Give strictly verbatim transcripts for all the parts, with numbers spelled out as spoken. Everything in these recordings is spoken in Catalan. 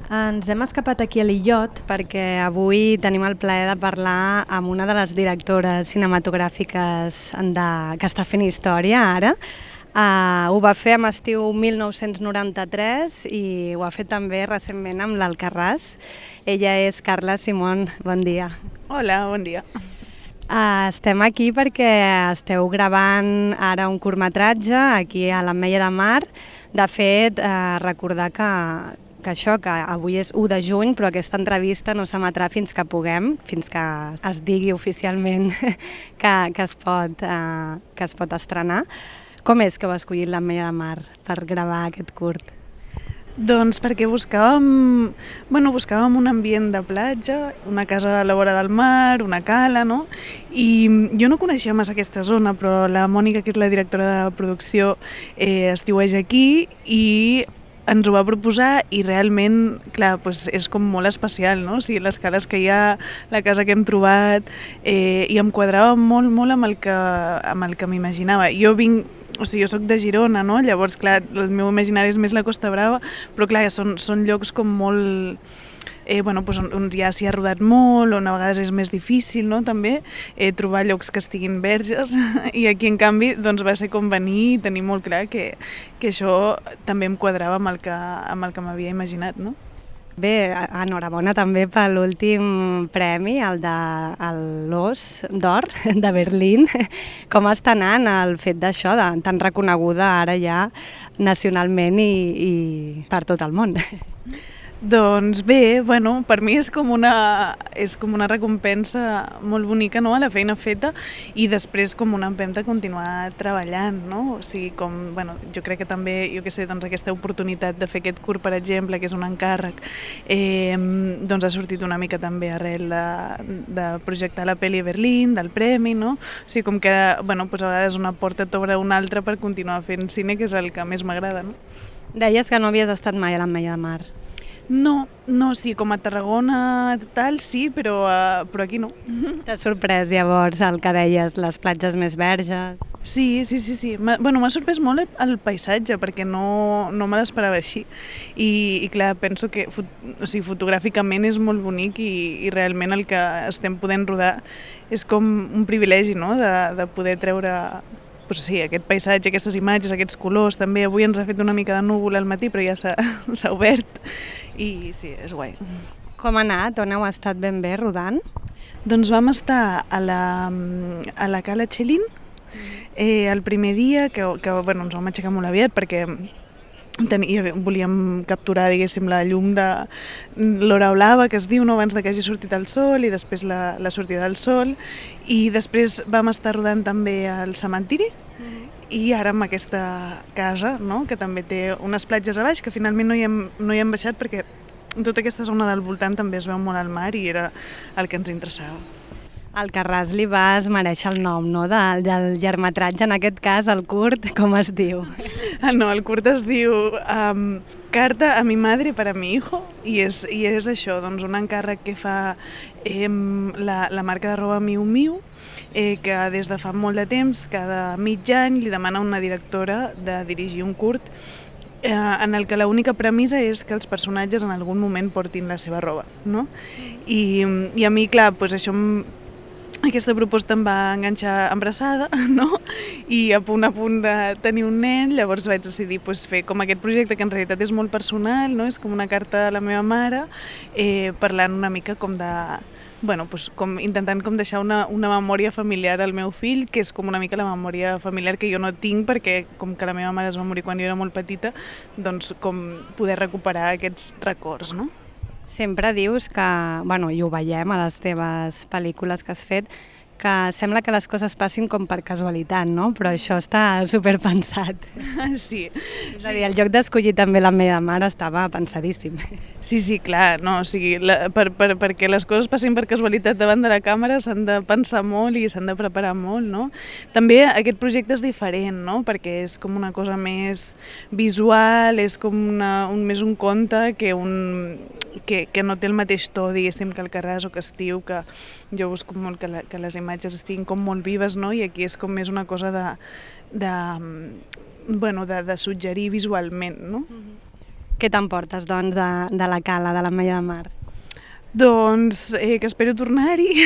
Ens hem escapat aquí a l'Illot perquè avui tenim el plaer de parlar amb una de les directores cinematogràfiques de, que està fent història ara. Uh, ho va fer amb estiu mil nou-cents noranta-tres i ho ha fet també recentment amb l'Alcarràs. Ella és Carla Simón. Bon dia. Hola, bon dia. Uh, estem aquí perquè esteu gravant ara un curtmetratge aquí a l'Ametlla de Mar. De fet, uh, recordar que, que això, que avui és u de juny, però aquesta entrevista no s'emetrà fins que puguem, fins que es digui oficialment que, que, es pot, uh, que es pot estrenar. Com és que heu escollit l'Ametlla de Mar per gravar aquest curt? Doncs perquè buscàvem, bueno, buscàvem un ambient de platja, una casa a la vora del mar, una cala, no? I jo no coneixia massa aquesta zona, però la Mònica, que és la directora de producció, eh, estiueja aquí i ens ho va proposar i realment, clar, doncs és com molt especial, no? O sigui, les cales que hi ha, la casa que hem trobat, eh, i em quadrava molt, molt amb el que, amb el que m'imaginava. Jo vinc, o sigui, jo soc de Girona, no? Llavors, clar, el meu imaginari és més la Costa Brava, però clar, són, són llocs com molt... Eh, bueno, doncs on, on ja s'hi ha rodat molt, on a vegades és més difícil, no? També eh, trobar llocs que estiguin verges, i aquí en canvi doncs, va ser com venir i tenir molt clar que, que això també em quadrava amb el que, amb el que m'havia imaginat, no? Bé, enhorabona també per l'últim premi, el de l'Os d'Or de Berlín. Com està anant el fet d'això, de, tan reconeguda ara ja nacionalment i, i per tot el món? Doncs bé, bueno, per mi és com una, és com una recompensa molt bonica, no?, a la feina feta, i després com una empenta a continuar treballant, no? O sigui, com, bueno, jo crec que també, jo què sé, doncs aquesta oportunitat de fer aquest curt, per exemple, que és un encàrrec, eh, doncs ha sortit una mica també arrel de, de projectar la pel·li a Berlín, del premi, no? O sigui, com que, bueno, doncs a vegades una porta t'obre una altra per continuar fent cine, que és el que més m'agrada, no? Deies que no havies estat mai a l'Ametlla de Mar. No, no, sí, com a Tarragona tal, sí, però, uh, però aquí no. T'ha sorprès llavors el que deies, les platges més verges? Sí, sí, sí, sí. M'ha, bueno, m'ha sorprès molt el, el paisatge, perquè no, no me l'esperava així. I, i clar, penso que fot, o sigui, fotogràficament és molt bonic i, i realment el que estem podent rodar és com un privilegi, no?, de, de poder treure... Pues sí, aquest paisatge, aquestes imatges, aquests colors, també avui ens ha fet una mica de núvol al matí, però ja s'ha obert i sí, és guai. Com ha anat? On heu estat ben bé rodant? Doncs vam estar a la, a la Cala Txelin eh, el primer dia, que, que bueno, ens vam aixecar molt aviat perquè tenia, volíem capturar, diguéssim, la llum de l'hora blava, que es diu, no?, abans de que hagi sortit el sol, i després la, la sortida del sol, i després vam estar rodant també al cementiri, mm-hmm. i ara amb aquesta casa, no?, que també té unes platges a baix, que finalment no hi hem, no hi hem baixat perquè tota aquesta zona del voltant també es veu molt al mar i era el que ens interessava. Al Carràs li vas mereixer el nom, no?, del, del llargmetratge, en aquest cas, el curt, com es diu? No, el curt es diu um, Carta a mi madre para mi hijo, i és, i és això, doncs un encàrrec que fa eh, la, la marca de roba Miu Miu, eh, que des de fa molt de temps, cada mig any, li demana a una directora de dirigir un curt eh, en el que l'única premissa és que els personatges en algun moment portin la seva roba, no? I, i a mi, clar, doncs això aquesta proposta em va enganxar embarassada, no? I a punt a punt de tenir un nen, llavors vaig decidir pues, fer com aquest projecte que en realitat és molt personal, no? És com una carta a la meva mare, eh, parlant una mica com de... Bueno, pues, com, intentant com deixar una, una memòria familiar al meu fill, que és com una mica la memòria familiar que jo no tinc, perquè com que la meva mare es va morir quan jo era molt petita, doncs com poder recuperar aquests records, no? Sempre dius que, bueno, i ho veiem a les teves pel·lícules que has fet, que sembla que les coses passin com per casualitat, no? Però això està superpensat. Sí. És a dir, el lloc d'escollir també l'Ametlla de Mar estava pensadíssim. Sí, sí, clar, no, o sigui, la, per, per, perquè les coses passin per casualitat davant de la càmera s'han de pensar molt i s'han de preparar molt, no? També aquest projecte és diferent, no? Perquè és com una cosa més visual, és com una, un, més un conte que, un, que, que no té el mateix to, diguéssim, que el Carràs o que Estiu, que jo busco molt que, la, que les imatges estiguin com molt vives, no? I aquí és com més una cosa de, de, bueno, de, de suggerir visualment, no? Mm-hmm. Què t'emportes, doncs, de, de la cala, de l'Ametlla de Mar? Doncs eh, que espero tornar-hi,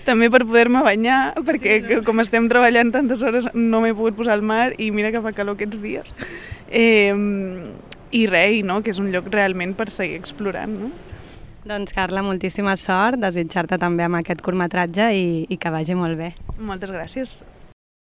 també per poder-me banyar, perquè sí, no? com estem treballant tantes hores no m'he pogut posar al mar i mira que fa calor aquests dies. Eh, I res, no? Que és un lloc realment per seguir explorant. No? Doncs Carla, moltíssima sort, desitjar-te també amb aquest curtmetratge i, i que vagi molt bé. Moltes gràcies.